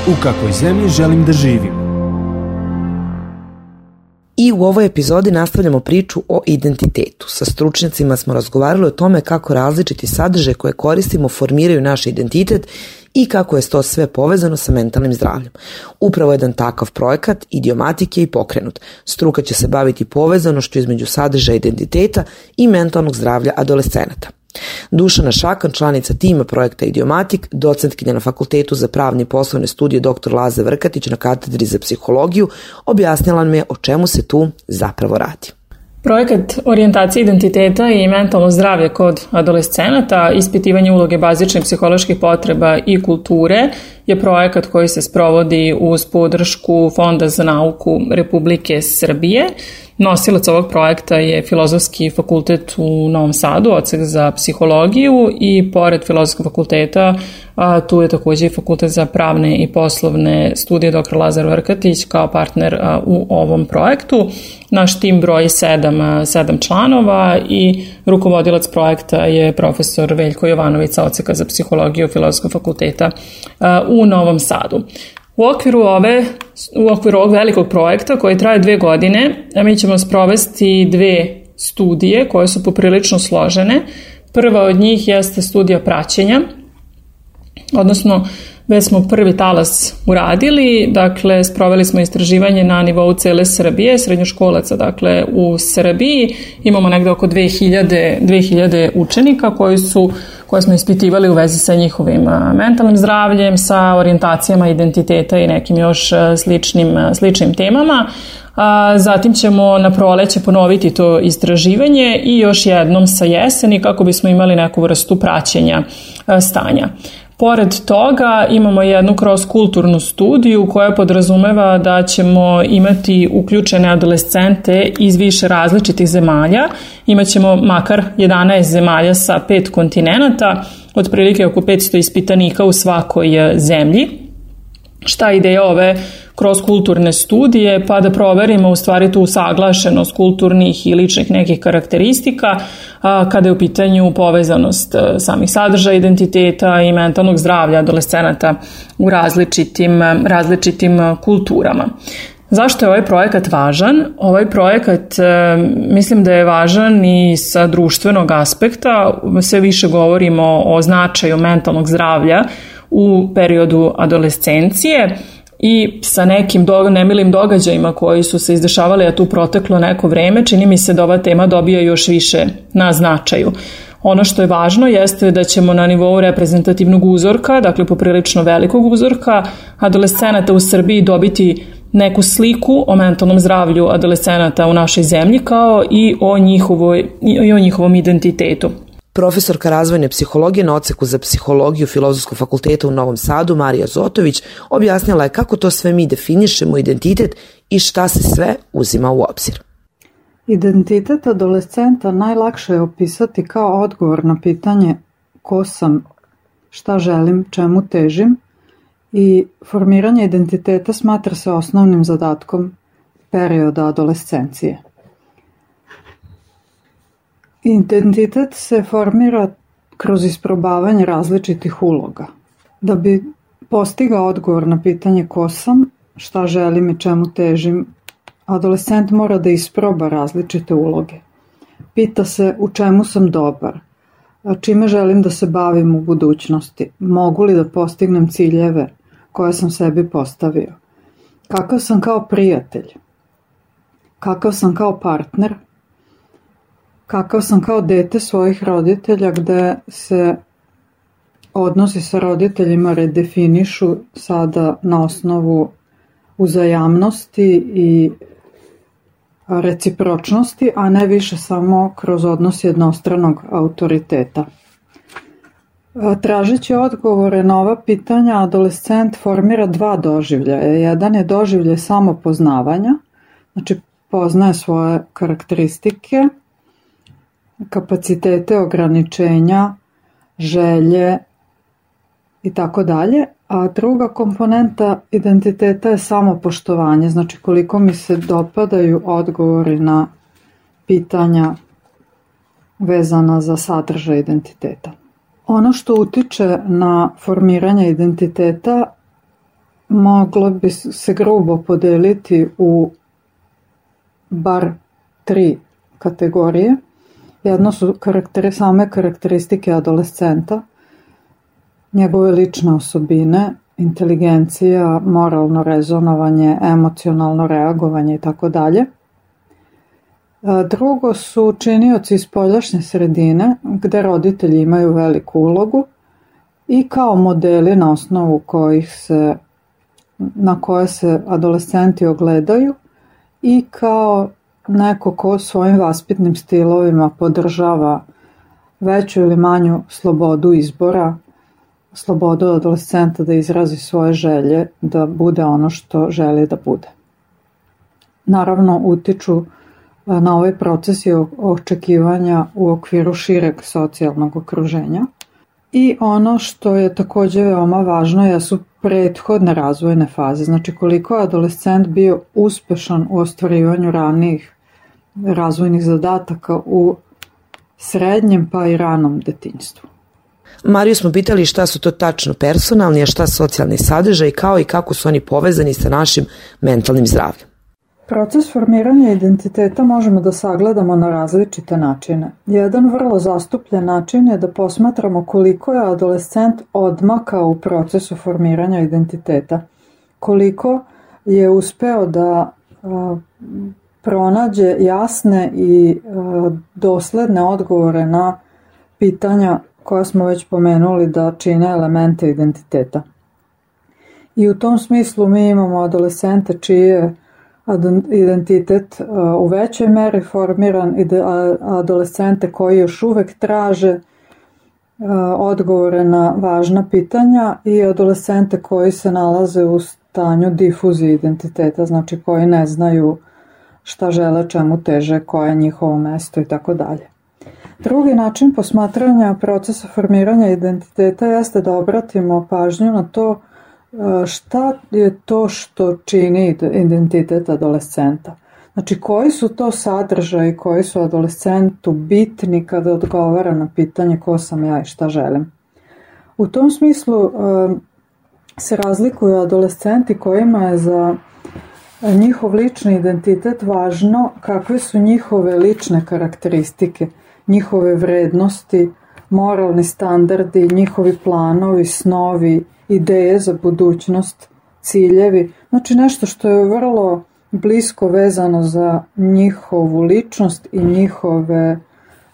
U kakvoj zemlji želim da živim? I u ovoj epizodi nastavljamo priču o identitetu. Sa stručnjacima smo razgovarali o tome kako različiti sadržaje koje koristimo formiraju naš identitet i kako je to sve povezano sa mentalnim zdravljem. Upravo jedan takav projekat Idiomatik je i pokrenut. Struka će se baviti povezanošću između sadržaja identiteta i mentalnog zdravlja adolescenata. Dušana Šakan, članica tima projekta Idiomatik, docentkinja na Fakultetu za pravne i poslovne studije dr. Laza Vrkatić na katedri za psihologiju, objasnila nam je o čemu se tu zapravo radi. Projekat orijentacije identiteta i mentalno zdravlje kod adolescenata, ispitivanje uloge bazičnih psiholoških potreba i kulture je projekat koji se sprovodi uz podršku Fonda za nauku Republike Srbije. Nosilac ovog projekta je Filozofski fakultet u Novom Sadu, odsek za psihologiju, i pored Filozofskog fakulteta tu je također i Fakultet za pravne i poslovne studije dr. Lazar Vrkatić kao partner u ovom projektu. Naš tim broji 7 članova i rukovodilac projekta je profesor Veljko Jovanović sa odseka za psihologiju Filozofskog fakulteta u Novom Sadu. U okviru ovog velikog projekta koji traje 2 godine, mi ćemo sprovesti 2 studije koje su poprilično složene. Prva od njih jeste studija praćenja, odnosno već smo prvi talas uradili, dakle sproveli smo istraživanje na nivou cele Srbije, srednjoškolaca dakle u Srbiji. Imamo negde oko 2000 učenika koje smo ispitivali u vezi sa njihovim mentalnim zdravljem, sa orijentacijama identiteta i nekim još sličnim temama. Zatim ćemo na proleće ponoviti to istraživanje i još jednom sa jeseni kako bismo imali neku vrstu praćenja stanja. Pored toga imamo jednu cross-kulturnu studiju koja podrazumeva da ćemo imati uključene adolescente iz više različitih zemalja. Imaćemo makar 11 zemalja sa 5 kontinenata, otprilike oko 500 ispitanika u svakoj zemlji. Šta je ideja ove cross-kulturne studije? Pa da proverimo u stvari tu usaglašenost kulturnih i ličnih nekih karakteristika kada je u pitanju povezanost samih sadržaja identiteta i mentalnog zdravlja adolescenata u različitim kulturama. Zašto je ovaj projekat važan? Ovaj projekat mislim da je važan i sa društvenog aspekta. Sve više govorimo o značaju mentalnog zdravlja u periodu adolescencije i sa nekim nemilim događajima koji su se izdešavali, a tu proteklo neko vreme, čini mi se da ova tema dobija još više na značaju. Ono što je važno jeste da ćemo na nivou reprezentativnog uzorka, dakle poprilično velikog uzorka adolescenata u Srbiji dobiti neku sliku o mentalnom zdravlju adolescenata u našoj zemlji kao i o njihovom identitetu. Profesorka razvojne psihologije na odseku za psihologiju Filozofskog fakulteta u Novom Sadu, Marija Zotović, objasnila je kako to sve mi definišemo identitet i šta se sve uzima u obzir. Identitet adolescenta najlakše je opisati kao odgovor na pitanje ko sam, šta želim, čemu težim, i formiranje identiteta smatra se osnovnim zadatkom perioda adolescencije. Identitet se formira kroz isprobavanje različitih uloga. Da bi postigao odgovor na pitanje ko sam, šta želim i čemu težim, adolescent mora da isproba različite uloge. Pita se u čemu sam dobar, čime želim da se bavim u budućnosti, mogu li da postignem ciljeve koje sam sebi postavio, kakav sam kao prijatelj, kakav sam kao partner, kakav sam kao dete svojih roditelja, gde se odnosi sa roditeljima redefinišu sada na osnovu uzajamnosti i recipročnosti, a ne više samo kroz odnos jednostranog autoriteta. Tražeći odgovore na ova pitanja, adolescent formira 2 doživljaja. Jedan je doživljaj samopoznavanja, znači poznaje svoje karakteristike, kapacitete, ograničenja, želje i tako dalje, a druga komponenta identiteta je samopoštovanje, znači koliko mi se dopadaju odgovori na pitanja vezana za sadržaj identiteta. Ono što utiče na formiranje identiteta moglo bi se grubo podeliti u bar 3 kategorije. Jedno su same karakteristike adolescenta, njegove lične osobine, inteligencija, moralno rezonovanje, emocionalno reagovanje i tako dalje. Drugo su činioci iz spoljašnje sredine, gde roditelji imaju veliku ulogu i kao modeli na osnovu na koje se adolescenti ogledaju i kao neko ko svojim vaspitnim stilovima podržava veću ili manju slobodu izbora, slobodu adolescenta da izrazi svoje želje, da bude ono što želi da bude. Naravno, utiču na ovaj proces i očekivanja u okviru šireg socijalnog okruženja. I ono što je takođe veoma važno jesu prethodne razvojne faze. Znači koliko je adolescent bio uspešan u ostvarivanju ranijih razvojnih zadataka u srednjem pa i ranom detinjstvu. Mariju smo pitali šta su to tačno personalni, a šta socijalni sadržaj, kao i kako su oni povezani sa našim mentalnim zdravljem. Proces formiranja identiteta možemo da sagledamo na različite načine. Jedan vrlo zastupljen način je da posmatramo koliko je adolescent odmakao u procesu formiranja identiteta, koliko je uspeo da pronađe jasne i dosledne odgovore na pitanja koja smo već pomenuli da čine elemente identiteta. I u tom smislu mi imamo adolescente čiji je identitet u većoj meri formiran i adolescente koji još uvek traže odgovore na važna pitanja i adolescente koji se nalaze u stanju difuzije identiteta, znači koji ne znaju šta žele, čemu teže, koje je njihovo mesto i tako dalje. Drugi način posmatranja procesa formiranja identiteta jeste da obratimo pažnju na to šta je to što čini identitet adolescenta. Znači koji su to sadržaji koji su adolescentu bitni kada odgovara na pitanje ko sam ja i šta želim. U tom smislu se razlikuju adolescenti kojima je za njihov lični identitet važno kakve su njihove lične karakteristike, njihove vrednosti, moralni standardi, njihovi planovi, snovi, ideje za budućnost, ciljevi. Znači nešto što je vrlo blisko vezano za njihovu ličnost i njihove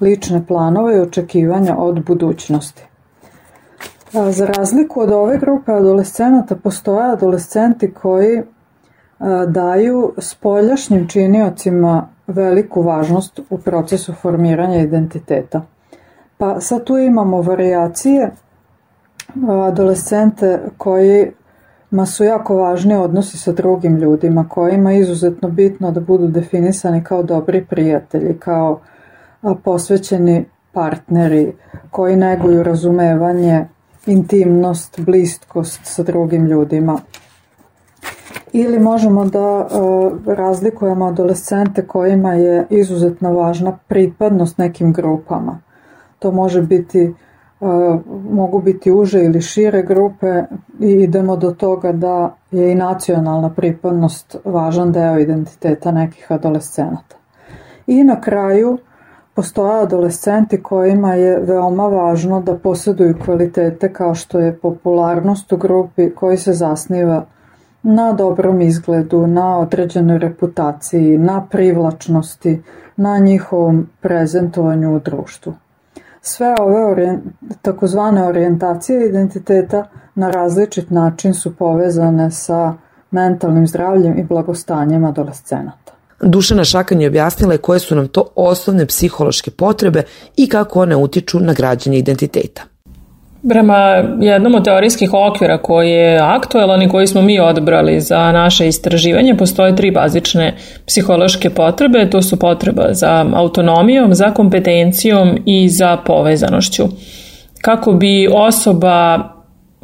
lične planove i očekivanja od budućnosti. Za razliku od ove grupe adolescenata postoje adolescenti koji daju spoljašnjim činiocima veliku važnost u procesu formiranja identiteta. Pa sad tu imamo varijacije, adolescente kojima su jako važni odnosi sa drugim ljudima, kojima je izuzetno bitno da budu definisani kao dobri prijatelji, kao posvećeni partneri, koji neguju razumevanje, intimnost, bliskost sa drugim ljudima. Ili možemo da razlikujemo adolescente kojima je izuzetno važna pripadnost nekim grupama. To mogu biti uže ili šire grupe i idemo do toga da je i nacionalna pripadnost važan deo identiteta nekih adolescenata. I na kraju postoje adolescenti kojima je veoma važno da posjeduju kvalitete kao što je popularnost u grupi koji se zasniva na dobrom izgledu, na određenoj reputaciji, na privlačnosti, na njihovom prezentovanju u društvu. Sve ove takozvane orijentacije identiteta na različit način su povezane sa mentalnim zdravljem i blagostanjem adolescenata. Dušana Šakanj je objasnila koje su nam to osnovne psihološke potrebe i kako one utiču na građenje identiteta. Prema jednom od teorijskih okvira koji je aktuelan i koji smo mi odabrali za naše istraživanje, postoje 3 bazične psihološke potrebe. To su potreba za autonomijom, za kompetencijom i za povezanošću. Kako bi osoba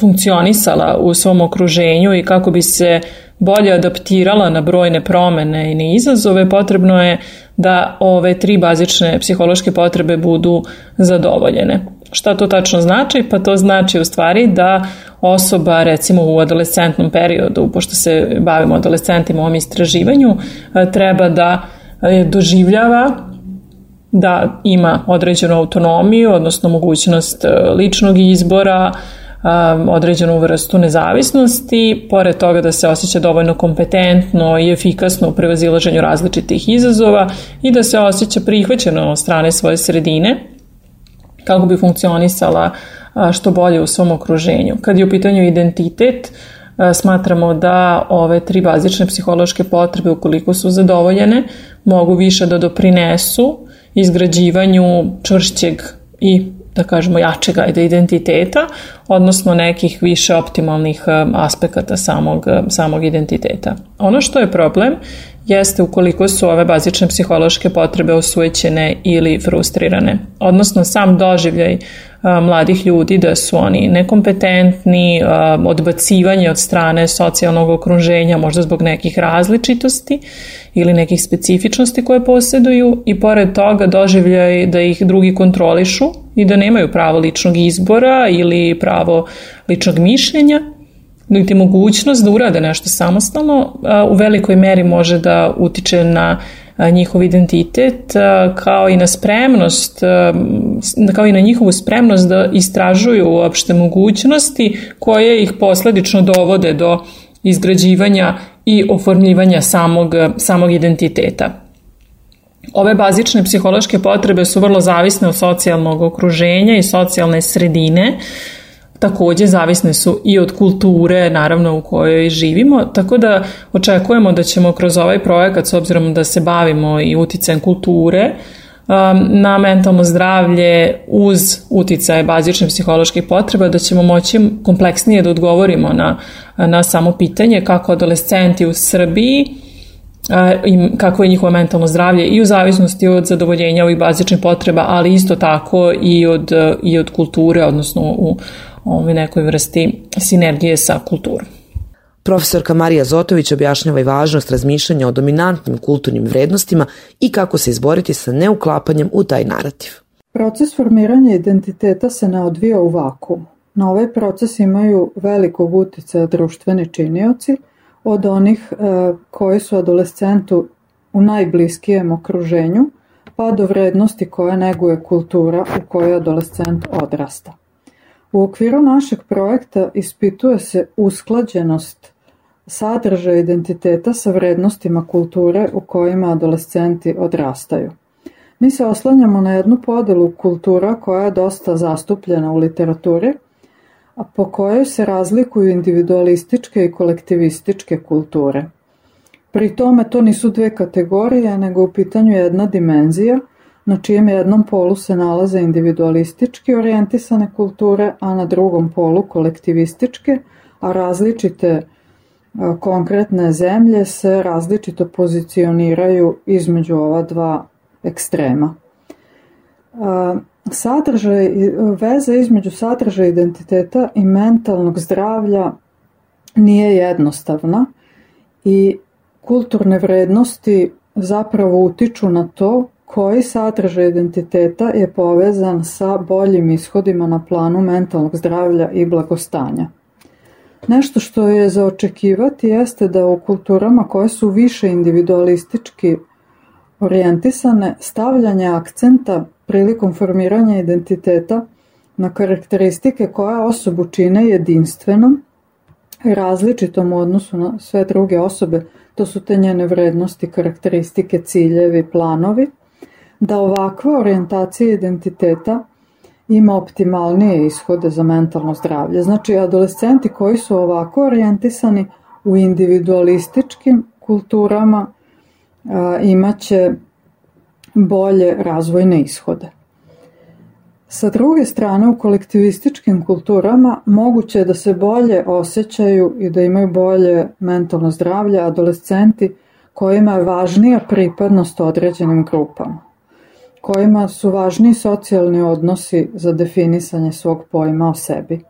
funkcionisala u svom okruženju i kako bi se bolje adaptirala na brojne promene i na izazove, potrebno je da ove 3 bazične psihološke potrebe budu zadovoljene. Šta to tačno znači? Pa to znači u stvari da osoba, recimo u adolescentnom periodu, pošto se bavimo adolescentima u ovom istraživanju, treba da doživljava da ima određenu autonomiju, odnosno mogućnost ličnog izbora, određenu vrstu nezavisnosti, pored toga da se osjeća dovoljno kompetentno i efikasno u prevazilaženju različitih izazova i da se osjeća prihvaćeno od strane svoje sredine kako bi funkcionisala što bolje u svom okruženju. Kad je u pitanju identitet, smatramo da ove 3 bazične psihološke potrebe, ukoliko su zadovoljene, mogu više da doprinesu izgrađivanju čvršćeg i, da kažemo, jačeg identiteta, odnosno nekih više optimalnih aspekata samog identiteta. Ono što je problem jeste ukoliko su ove bazične psihološke potrebe osujećene ili frustrirane, odnosno sam doživljaj mladih ljudi da su oni nekompetentni, odbacivanje od strane socijalnog okruženja, možda zbog nekih različitosti ili nekih specifičnosti koje posjeduju, i pored toga doživljaj da ih drugi kontrolišu i da nemaju pravo ličnog izbora ili pravo ličnog mišljenja, niti mogućnost da urade nešto samostalno, u velikoj meri može da utiče na njihov identitet, kao i na spremnost, kao i na njihovu spremnost da istražuju uopšte mogućnosti koje ih posledično dovode do izgrađivanja i oformljivanja samog identiteta. Ove bazične psihološke potrebe su vrlo zavisne od socijalnog okruženja i socijalne sredine. Takođe zavisne su i od kulture, naravno, u kojoj živimo, tako da očekujemo da ćemo kroz ovaj projekat, s obzirom da se bavimo i uticajem kulture na mentalno zdravlje uz uticaje bazičnih psiholoških potreba, da ćemo moći kompleksnije da odgovorimo na samo pitanje kako adolescenti u Srbiji i kako je njihovo mentalno zdravlje i u zavisnosti od zadovoljenja ovih bazičnih potreba, ali isto tako i od kulture, odnosno u nekoj vrsti sinergije sa kulturom. Profesorka Marija Zotović objašnjava i važnost razmišljanja o dominantnim kulturnim vrednostima i kako se izboriti sa neuklapanjem u taj narativ. Proces formiranja identiteta se ne odvija u vakuumu. Na ovaj proces imaju velikog uticaja društveni činioci, od onih koji su adolescentu u najbliskijem okruženju, pa do vrednosti koje neguje kultura u kojoj adolescent odrasta. U okviru našeg projekta ispituje se usklađenost sadržaja identiteta sa vrednostima kulture u kojima adolescenti odrastaju. Mi se oslanjamo na jednu podelu kultura koja je dosta zastupljena u literaturi, a po kojoj se razlikuju individualističke i kolektivističke kulture. Pri tome to nisu 2 kategorije, nego u pitanju jedna dimenzija, na čijem jednom polu se nalaze individualistički orijentisane kulture, a na drugom polu kolektivističke, a različite konkretne zemlje se različito pozicioniraju između ova 2 ekstrema. Veza između sadržaja identiteta i mentalnog zdravlja nije jednostavna i kulturne vrednosti zapravo utiču na to koji sadržaj identiteta je povezan sa boljim ishodima na planu mentalnog zdravlja i blagostanja. Nešto što je za očekivati jeste da u kulturama koje su više individualistički orijentisane, stavljanje akcenta prilikom formiranja identiteta na karakteristike koje osobu čine jedinstvenom, različitom u odnosu na sve druge osobe, to su te njene vrednosti, karakteristike, ciljevi, planovi, da ovakva orijentacija identiteta ima optimalnije ishode za mentalno zdravlje. Znači, adolescenti koji su ovako orijentisani u individualističkim kulturama imaće bolje razvojne ishode. Sa druge strane, u kolektivističkim kulturama moguće je da se bolje osjećaju i da imaju bolje mentalno zdravlje adolescenti kojima je važnija pripadnost određenim grupama, kojima su važniji socijalni odnosi za definisanje svog pojma o sebi.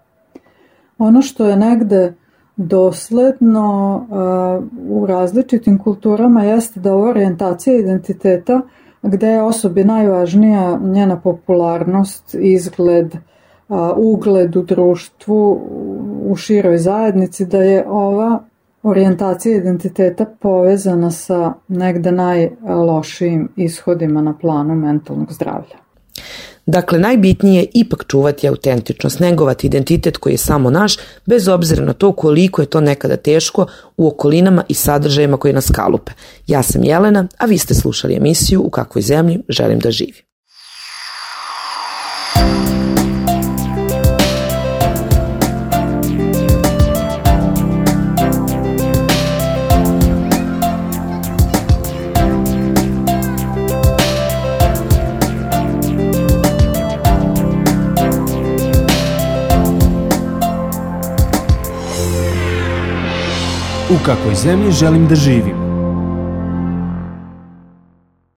Ono što je negde dosledno u različitim kulturama jeste da ova orijentacija identiteta, gde je osobi najvažnija njena popularnost, izgled, ugled u društvu, u široj zajednici, da je ova orijentacija identiteta povezana sa negde najlošijim ishodima na planu mentalnog zdravlja. Dakle, najbitnije je ipak čuvati autentičnost, negovati identitet koji je samo naš, bez obzira na to koliko je to nekada teško u okolinama i sadržajima koji nas kalupe. Ja sam Jelena, a vi ste slušali emisiju U kakvoj zemlji želim da živim. U kakvoj zemlji želim da živim.